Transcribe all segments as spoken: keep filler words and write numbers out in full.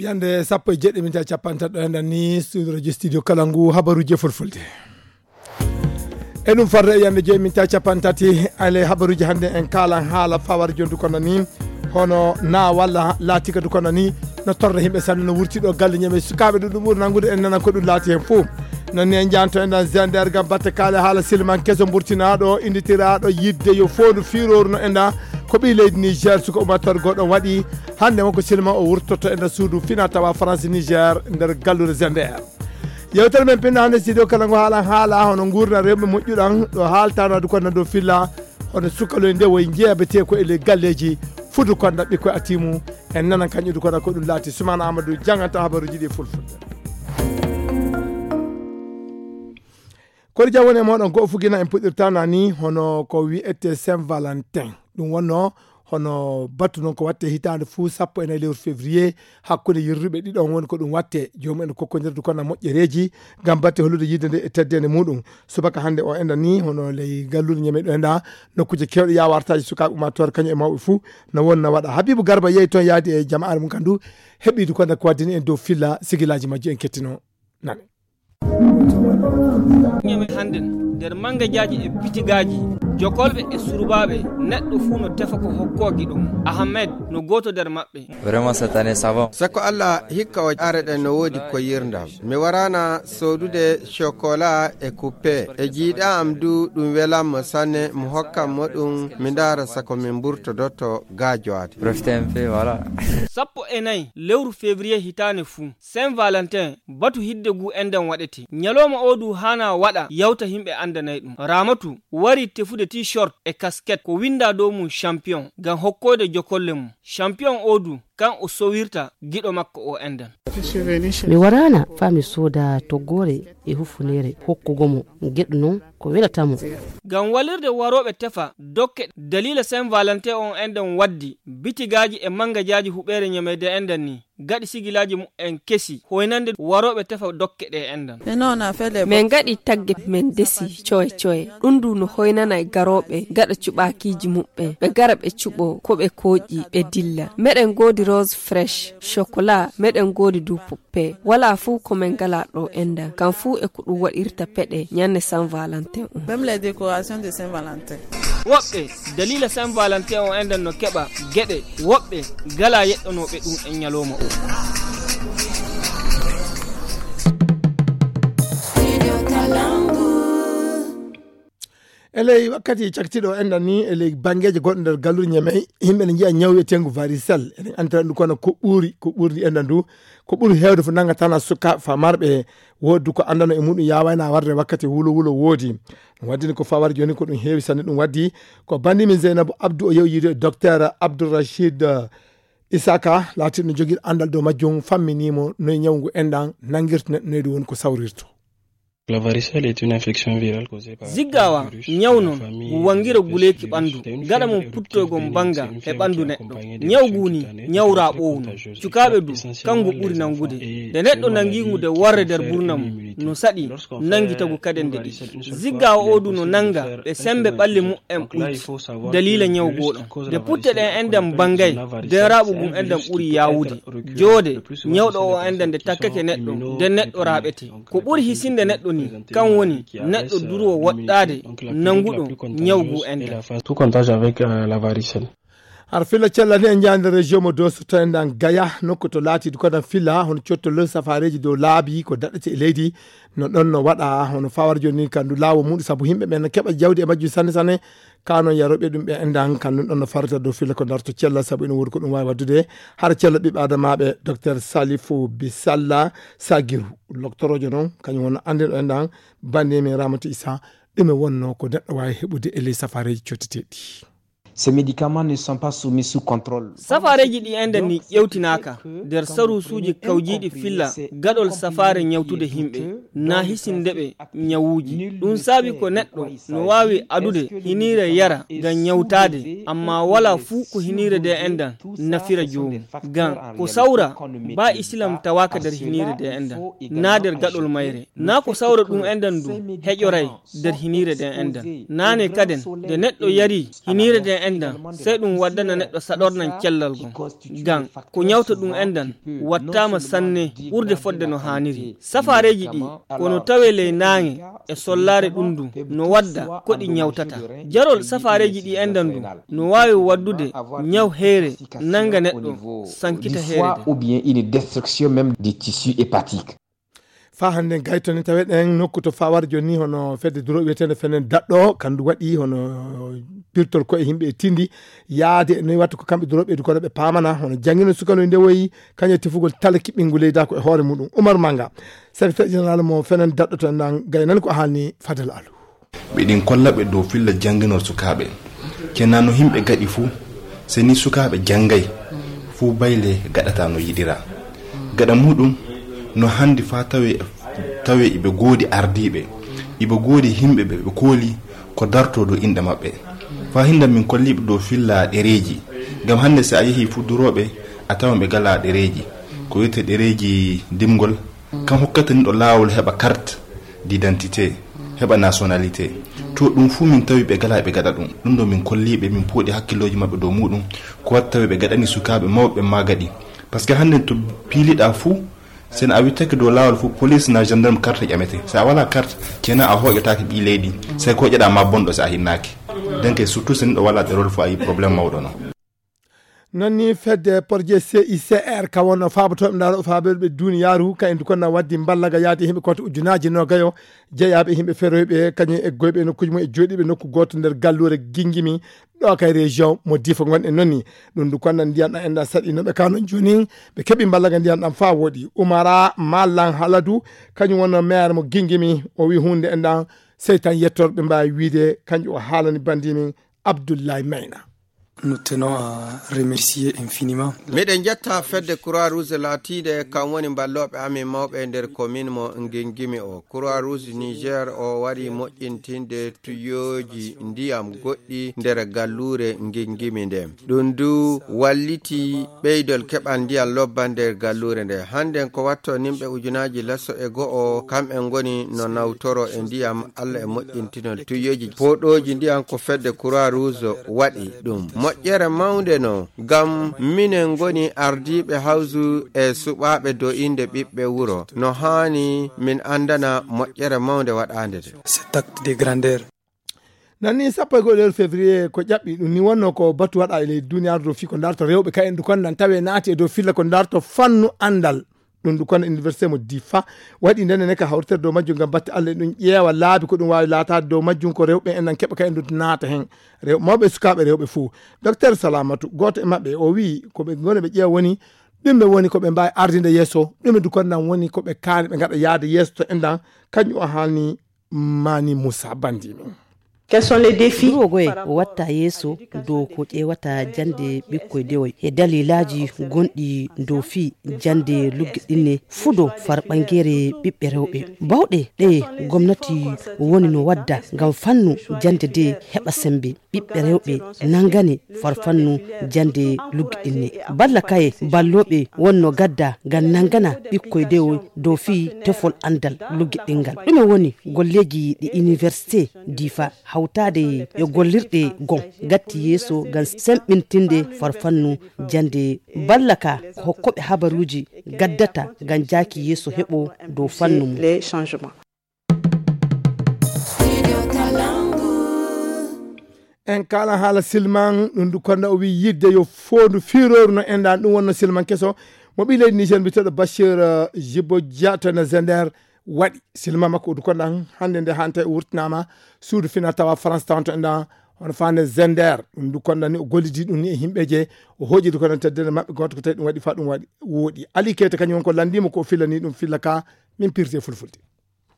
Yande sappo e jeɗɗi minti capantato e nani studio radio studio kala ngu habaruji e fulfulde. E ɗum farre e yande joyi minti capantati ale habaruji hande en kalan haala fawar jondu kono ni hono na walla laati kadi kono ni no torre himɓe sanne no wurti ɗo galle ñame sukaɓe ɗum ɗum ɓuri nangude en nana ko ɗum laati hen fof. Non ni en janto en ɗan zender gam batte kaale haala silman keso burtinaɗo inditiraɗo yidde yo fondu firoru no en ɗa ko ɓi leydi niger suka umator goɗɗo waɗi hande wonko silman o wurtoto en ɗa suudu fina tawa france niger nder gallude zender. Yewtere men pinno hande studio kala ngo haala haala hono gurna rewɓe moƴƴuɗan ɗo haaltano adu kono dow filla hono sukaloy nde woye jeeyabete ko e ley galleji fudu konda ɓikkoy atimu en nanan kañƴudu kono ko ɗum laati sumana amadou janganta habaruji ɗi fulfulde. Kono jam woni e moɗon go'o fugina en puɗɗirta nani hono ko wi'ete saint valentin. Ɗum wonno hono batu noon ko watte hitaande fuu sappo e nayi lewru février hakkunde yirruɓe ɗiɗon woni ko ɗum watte. Joomum en kokkondirde kono moƴƴereeji ngam batte hollude yidde nde e teddende muɗum. Subaka hannde o enda ni hono ley gallude ñameɗo enda nokkuuje kewɗe yawartaaji sukaaɓe ummaatoore kañum e mawɓe fuu no wonna waɗa. Habibu Garba yehi toon yaadi e jamaare mum kandu heɓiidu kono ko waddini en dow filla sigilaaji majjo en kettino nane. Ñame hannden nder mangajaaji e bitigaaji jokolɓe e surbaaɓe neɗɗo fuu no tefa ko hokkoogi ɗum. Ahmed no gooto nder maɓɓe. Vraiment cette année ça va. Sako Allah hikka o are ɗen no woodi ko yirndam. Mi waraana soodude chocolat e kuppe e jiiɗa am du ɗum welammo sanne mo hokkam mo ɗum mi ndaara sako min mburtodotto gaajowaade. Profite un peu voilà. Sappo e nayi lewru février hitaande fuu. Saint Valentin batu hidde ngu enɗan waɗete. Ñalooma oo du haanaa waɗa yawta yimɓe anndanay ɗum. Raamatu warii tefude T-shirt e kasket ko winndaa dow mum champion ngam hokkoyde jokolle mum. Champion oo du kan o sowirta giɗo makko oo enɗan. Mi waraana faa mi sooda toggoore e hufuneere hokkugo mo geɗo noon ko welata mo. Ngam walirde warooɓe tefa dokke daliila Saint Valentin on enɗan waddi bitigaaji e manngajaaji huɓeere ñamayde enɗan ni. Gaɗi sigilaaji mumen kesi hoynande warooɓe tefa dokke ɗe enɗan. Min ngaɗi tagge min ndesi coye coye ɗum ndu no hoynana e garooɓe gaɗa cuɓaakiiji muɓɓen ɓe gara ɓe cuɓoo ko ɓe kooƴi ɓe dilla. Meɗen ngoodi rose fresh chocolat meɗen ngoodi du poppe walaa fuu ko min ngalaa ɗo enɗan kam fuu e ko ɗum waɗirta peɗe ñannde Saint Valentin on. Woɓɓe daliila Saint Valentin o enɗan no keɓa geɗe woɓɓe gala yeɗɗanooɓe ɗum e ñalooma o. E ley wakkati caktiɗo enɗan ni e ley banngeeji goɗɗo nder galluure ñamey yimɓe ne njiya ñaw wiyetengu varisel eɗen anndira ɗum kono ko ɓuuri ko ɓurdi enɗan ndu ko ɓuri heewde fof nanngatana suka famarɓe wooddu ko anndano e muɗum yawayna warde wakkati wulo wulo woodi. Ɗum waddini ko fawar jooni ko ɗum heewi sanne ɗum waddi ko bandimin zeynabu abdou o yew yiide docteur abdourachid isaka laatiɗo jogiiɗo anndal dow majjum famminimo noye ñawngu enɗan nanngirta neɗɗo noyɗo woni ko sawrirto. Ziggawa ñaw non ngu wangira guleeki ɓanndu gaɗa mum puttoygol mbannga e ɓanndu neɗɗo. Ñaw ngu ni ñaw raaɓoowu non. Cukaaɓe du kanngu ɓuri nanngude. Nde neɗɗo nanngi ngu de warre nder burna mum no saɗi nanngitagu kaden nde ɗiɗi. Ziggawa oo du no nannga ɓe semmbe ɓalli mumen ɓuyti daliila ñaw goo ɗon. Nde putte ɗen enɗan mbangay nden raaɓugum enɗan ɓuri yaawude. Joode ñawɗo oo enɗan nde takkake neɗɗo nden neɗɗo raaɓete. Ko ɓuri hisinde neɗɗo ni kan woni neɗɗo durwo woɗɗaade nannguɗo ñaw ngu enɗan. Tout comptage avec la varicelle. Har filla cella ni en jaande région mo doso to enɗan gaya nokku to laatiɗo koɗan filla hono cottolol safareeji dow laabi ko daɗɗete e leydi. No ɗon no waɗa hono fawar jooni ni kandu laawo muɗum sabu yimɓe ɓen no keɓa jawdi e majjum sanne sanne. Ka noon yaroɓe ɗum ɓe enɗan kan nun ɗon no farata dow filla ko darto cella sabu ina woodi ko ɗum waawi waddude. Hara cella ɓiɓɓe adamaaɓe docteur salifu bisalla sagiru loktoroojo noon kañum wonno anndinɗo enɗan bannde men ramata isa. Ɗume wonno ko neɗɗo waawi heɓude e ley safareeji cotteteeɗi? Ces médicaments ne sont pas soumis sous contrôle. Safareeji ɗi enɗan ni ƴewtinaaka nder saruusuuji kawjiiɗi filla gaɗol safaare ñawtude yimɓe na hisindeɓe ñawuuji. Ɗum saabi ko neɗɗo no waawi adude hiniire yara ngam ñawtaade amma walaa fuu ko hiniire nde enɗan nafira joomum. Ngam ko sawra ba isilam tawaaka nder hiniire nde enɗan na nder gaɗol mayre. Na ko sawra ɗum enɗan du heƴoray nder hiniire nde enɗan. Naane kaden nde neɗɗo yari hiniire nde enɗan, sey ɗum waddana neɗɗo saɗornan cellal ngon. Ngam ko ñawta ɗum enɗan wattaama sanne ɓurde fodde no haaniri. Safaareeji ɗi ko no tawee ley naange e sollaare ɗum ndun no wadda ko ɗi ñawtata. Jarol safaareeji ɗi enɗan ndun no waawi waddude ñaw heere nannga neɗɗo sankita heere nden. Ou bien une destruction même des tissus hépatiques. Faa hannden gayto ni taweɗen nokku to fawar jooni hono fedde duro wiyeteende fenen daɗɗo kandu waɗi hono pirtol koye yimɓe e tindi yaade no watta ko kamɓe duro ɓeydu kono ɓe paamana hono janngino sukanoy ndewoyi kañum e tefugol tala kiɓɓingu leyda ko e hoore muɗum. Umar Manga, secrétaire général mo fenen daɗɗo to enɗan gaynani ko haalni Fadel Alu. Ɓe ɗin kolla ɓe dow filla jannginol sukaaɓe. Kena no yimɓe gaɗi fuu, se ni sukaaɓe janngay, fuu bayle gaɗata no yiɗira. Gaɗa muɗum, no handi faa tawe tawe iɓe goodi ardiiɓe, iɓe goodi yimɓe ɓe ɓe kooli ko dartoo dow inɗe maɓɓe. Faa hinda min kolliiɓe dow filla ɗereeji. Ngam hannde si a yehi fuu durooɓe, a tawan ɓe galaa ɗereeji. Ko wiyetee ɗereeji dimgol, kan hokkata niɗo laawol heɓa carte d'identité, heɓa nationalité. To ɗum fuu min tawi ɓe galaa ɓe gaɗa ɗum. Ɗum ɗo min kolliiɓe, min pooɗi hakkillooji maɓɓe dow muɗum. Ko watta tawi ɓe gaɗani sukaaɓe mawɓe ɓen maa gaɗi. Parce que hannden to piiliɗaa fuu, sen a wittake dow laawol fuu, police na gendarme carte ƴamete. Si a walaa carte, kena a hooƴotaake ɓii leydi. Sey ko ƴeɗaa maa bonɗo si a hinnaaki. Donc surtout sen ɗo walaa ɗerol fuu a yi problème mawɗo no. Non ni fedde porje C I C R ka wonno faabotooɓe ndaaro faabeeɓe duniyaaru ka en dukonna waddi mballaga yaade himɓe koto ujunaaji nogayo jeyaaɓe himɓe feroyɓe kañum e goyɓe nokkuji mum e jooɗiiɓe nokku gooto nder galluure gingimi ɗo kay région mo difa gonɗen non ni. Ɗum dukonna ndiyan ɗan enɗan saɗi no ɓe kanon jooni ɓe keɓi mballaga ndiyan ɗan faa woɗi. Umara Malan Haladu kañum wonno maire mo gingimi o wi hunde enɗan sey tan yettorɓe mbaawi wiide kanƴum o haalani bandimin Abdoulaye Mayna. Nous tenons à remercier infiniment. Miɗen njetta fedde Croix Rouge laatiinde kam woni mballooɓe amin mawɓe e nder commune mo Ngingimi o. Croix Rouge Niger o wari moƴƴintinde tuyooji ndiyam goɗɗi nder galluure Ngingimi nden. Ɗum du walliti ɓeydol keɓal ndiyam lobba nder galluure nde. Hannden ko watto nimɓe ujunaaji leso e go'o kamɓe ngoni no nawtoro e ndiyam Allah e moƴƴintinol tuyooji pooɗooji ndiyam ko fedde Croix Rouge waɗi ɗum moƴƴere mawnde no ngam minen ngoni ardiiɓe hawsu e suɓaaɓe do innde ɓiɓɓe wuro no haani min anndana moƴƴere mawnde waɗaande de. Cet acte de grandeur. Nanni sappo e go'o lewru février ko ƴaɓɓi ɗum ni wonno ko batu waɗa e leydi duniyaaru dow fii ko ndarto rewɓe ka en ɗum kon nan tawe naati e dow filla ko ndarto fannu anndal. Ɗum ɗum kono université mo difa waɗi ndene ne ka hawritere dow majjum ngam batte allah ɗum ƴeewa laabi ko ɗum waawi laataade dow majjum ko rewɓe en nan keɓa ka en ɗum naata heen. Rew mawɓe e sukaaɓe rewɓe fof. Docteur Salamatu gooto e maɓɓe o wii ko ɓe ngoni ɓe ƴeewa woni ɗum ɓe woni ko ɓe mbaawi ardinde yeeso ɗum e dukono nan woni ko ɓe kaani ɓe ngaɗa yaade yeeso to enɗan. Kañum o haalni Mani Moussa Bandimi. Quels sont les défis? Ɗum o goye o watta yeeso dow ko ƴeewata jannde ɓikkoy dewoy e dalilaaji gonɗi dow fii jannde luggiɗinne fudo far ɓangeere ɓiɓɓe rewɓe. Bawɗe ɗe gomnati woni no wadda ngam fannu jannde de heɓa sembe ɓiɓɓe rewɓe nangane far fannu jannde luggiɗinne. Balla kaye ballooɓe wonno gadda ngam nangana ɓikkoy dewoy dow fii tefol anndal luggiɗɗingal. Ɗume woni golleeji ɗi université difa hawtaade e gollirɗe gon gatti yeeso ngam semɓintinde farfannu jannde balla ka ko hokkoɓe habaruuji gaddata ngam jaaki yeeso heɓo dow fannu mum. En kala haala silman ɗum du konda o wi yidde yo foondu fiirooru no enɗan ɗum wonno silman keso mo ɓi leydi niger mbiteɗo bachir jibo dia to ene zender waɗi silma makko udu konɗan hannde nde hannde tawi o wurtinaama suudu final tawa france tawanto enɗan hono fande zender ɗum du konɗan ni o gollidi ɗum ni e yimɓeje o hoƴidi kono teddere maɓɓe gooto ko tawi ɗum waɗi fa ɗum waɗi woɗi ali keyta kañum won ko lanndima ko fillani ɗum filla ka min pirte fulfulde.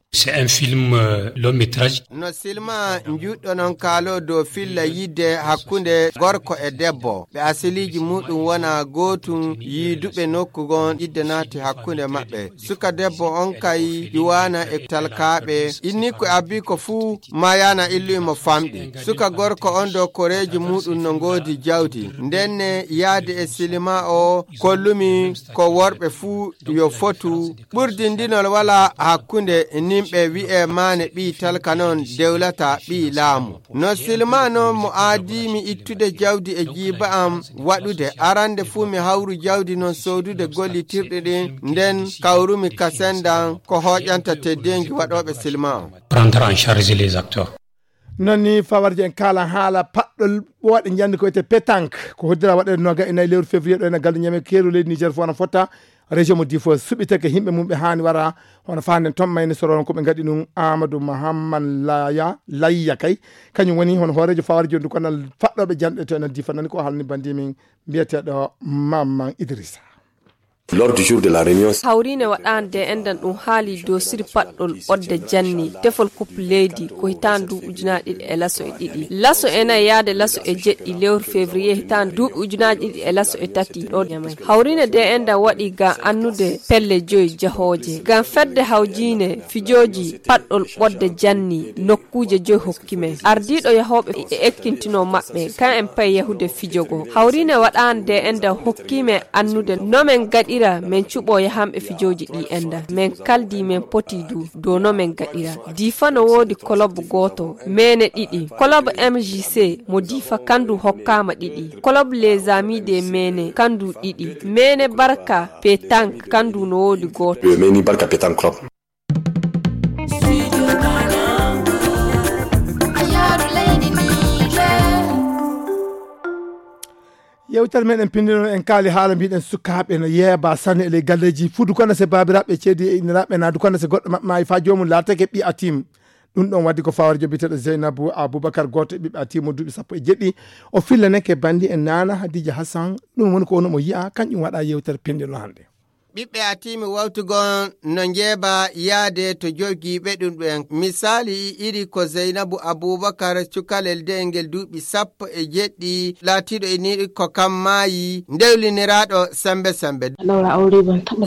C'est un film euh, long métrage. No silma njuɗɗo non kaalo dow filla yidde hakkunde gorko e debbo ɓe asiliiji muɗum wona gootum yiiduɓe nokku gon yidde naati hakkunde maɓɓe. Suka debbo on kay ƴuwaana e talkaaɓe inni ko abbi ko fuu mayaana illuy mo famɗi. Suka gorko on dow koreeji muɗum no ngoodi jawdi ndenne yaade e silima o kollumi ko worɓe fuu yo fotu ɓurdindinol wala hakkunde nin Ɓe wi'e maane ɓii talka noon dewlata ɓii laamu. No silma noon mo aadii mi ittude jawdi e jiiba am waɗude. Arande fuu mi hawru jawdi noon soodude gollitirɗi ɗin, nden kawrumi ka sendan ko hooƴanta teddeengi waɗooɓe silma on. Prendre en charge les acteurs. Noon ni fawarje en kaala haala paɗɗol ɓooɗe njanndi ko wiyetee pétanque. Ko hoddira waɗeede nooga e nayi lewru février ɗo ene gallu ñame keeru leydi Niger fof no fotta. Région mo Difo suɓitake yimɓe mum ɓe haani wara hono faanden toon mayni soroon ko ɓe ngaɗi ɗum Amadou Mahamman Laya, Layya kay. Kañum woni hono hooreejo fawarjo ndu konal faɗɗooɓe janɗe to ene Difo nani ko halni bandi min mbiyeteeɗo Mamman Idrissa. L'ordre du jour de la réunion. Hawriine waɗaande e enɗan ɗum haali dow siri paɗɗol ɓodde janni tefol kup leydi ko hitaande duuɓi ujunaaji ɗiɗi e laso e ɗiɗi. Laso e nayi yaade laso e jeɗɗi lewru février hitaande duuɓi ujunaaji ɗiɗi e laso e tati ɗo Niamey. Hawriine de enɗan waɗi ngam annude pelle joyi jahooje. Ngam fedde hawjiine fijooji paɗɗol ɓodde janni nokkuuje joyi hokki men. Ardiiɗo yahooɓe e ekkintinoo maɓɓe, kan en pay yahude fijo goo. Hawriine waɗaande enɗan hokki men annude no men gaɗira men cuɓoo yahanɓe fijooji ɗi enɗan. Men kaldi men poti du dow no men gaɗira. Diifa no woodi kolob gooto, meene ɗiɗi. Kolob M J C mo Diifa kandu hokkaama ɗiɗi. Kolob Les Amis des Meene kandu ɗiɗi. Meene Barka Pétanque kandu no woodi gooto. Le Meene Barka Pétanque Club. Yewtere meɗen pinndino en kaali haala mbiɗen sukaaɓe no yeeba sanne e ley galleeji fudu kono se baabiraaɓe ceedi e inniraaɓe naa du kono se goɗɗo maɓɓe maayi faa joomum laatake ɓi atim. Ɗum ɗon waddi ko fawarjo biyeteeɗo Zeynabu Abubakar gooto e ɓiɓɓe atimu duuɓi sappo e jeɗɗi. O fillaneke banndi e naana Hadija Hassan. Ɗum woni ko woni mo yi'a kanƴum waɗa yewtere pinndino hannde. Ɓiɓɓe Atiimi wawtugon no njeeba yaade to jogiiɓe ɗum ɓen. Misaali iri ko Zeynabu Abuubakar, cukalel de'el ngel duuɓi sappo e jeɗɗi, laatiiɗo e niiri ko kam maayi, ndewliniraaɗo sembe sembe.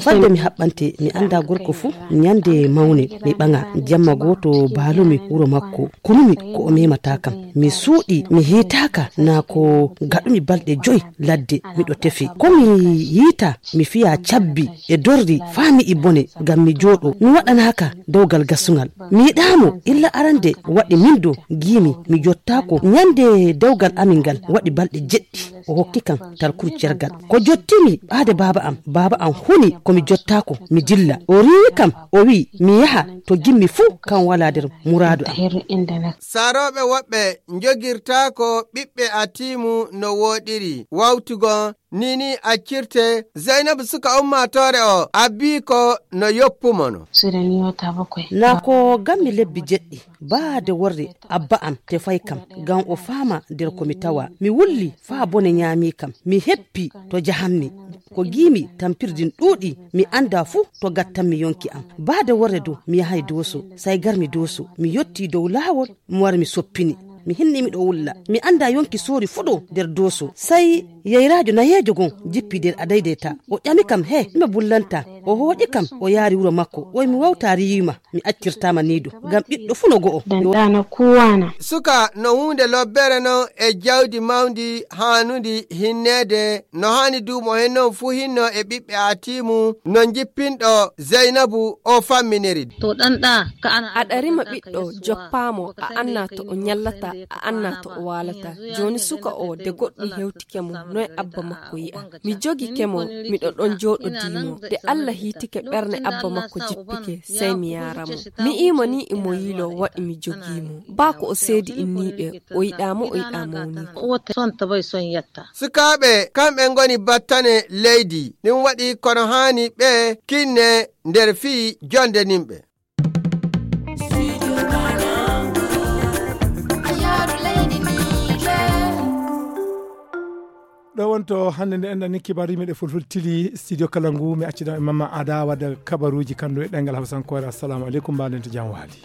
Fadde mi haɓɓante, mi annda gorko fuu, ñande mawne mi ɓaŋa, jamma gooto baalumi wuro makko, kunumi ko o memata kam. Mi suuɗi, mi hiitaaka, naa ko gaɗumi balɗe joy ladde miɗo tefe. Ko mi yiita, mi fiya cabbi e dorri faa mi yi'i bone, ngam mi jooɗo. Mi waɗanaaka dewgal gasungal. Mi yiɗaamo illa arande waɗi min do giimi mi jottaako. Ñande dewgal amin ngal waɗi balɗe jeɗɗi. O hokki kam talkuru cergal. Ko jottimi ɓaade baaba am, baaba am huni ko mi jottaako, mi dilla. O riiwi kam, o wi'i mi yaha to gimmi fuu, kam walaa nder muraadu am. Sarooɓe woɓɓe njogirtaako ɓiɓɓe Atiimu no wooɗiri. Wawtugo ni ni accirte. Zeynabu suka ummaatoore o abbii ko no yoppumono. Naa ko gammi lebbi jeɗɗi, baade worre abba am tefay kam, ngam o faama nder ko mi tawa. Mi wulli faa bone ñaami kam. Mi heppi to jahammi. Ko giimi tampirdin ɗuuɗi, mi annda fuu to gattanmi yonki am. Baade worre dow, mi yahay Dooso, say garmi Dooso. Mi yotti dow laawol, mi wari mi soppini. Mi hinni miɗo wulla. Mi annda yonki soori fuu ɗo nder Dooso. Say yeyraajo nayeejo gon jippi nder adaydeyta. O ƴami kam, "He, ɗume bullanta?" O hooƴi kam, o yaari wuro makko. Oy mi wawta riiwima, mi accirtaama nii du. Ngam ɓiɗɗo fuu no go'o. Suka no huunde lobbere non e jawdi mawndi haanundi hinneede. No haani duumo hen non fuu hinno e ɓiɓɓe Atiimu no njippinɗo Zeynabu o famminiri. To ɗanɗa ka ana. Aɗa rima ɓiɗɗo, joppaamo, a annaa to o ñallata, a annaa to o waalata. Jooni suka o de goɗɗum hewtike mo, noy abba makko yi'a? Mi jogike mo, miɗo ɗon jooɗodii mo. De Alla hiitike ɓerne abba makko jippike, sey mi yaara mo. Mi iimo ni imo yiilo waɗi mi jogii mo. Baa ko o seedi inniiɓe, o yiɗaa mo, o yiɗaa mawniiko. Sukaaɓe, kamɓe ngoni battane leydi. Ɗum waɗi kono haani ɓe kinne nder fii jonde nimɓe. Ɗo wonto hannde nde enɗan ni kibaruuji meɗe fulfulde tili studio kala ngu, mi accida e Mamma Ada wadda kabaruuji kandu e ɗengal Hausankoore. Assalamu alaikum, mbaɗen to jam waali.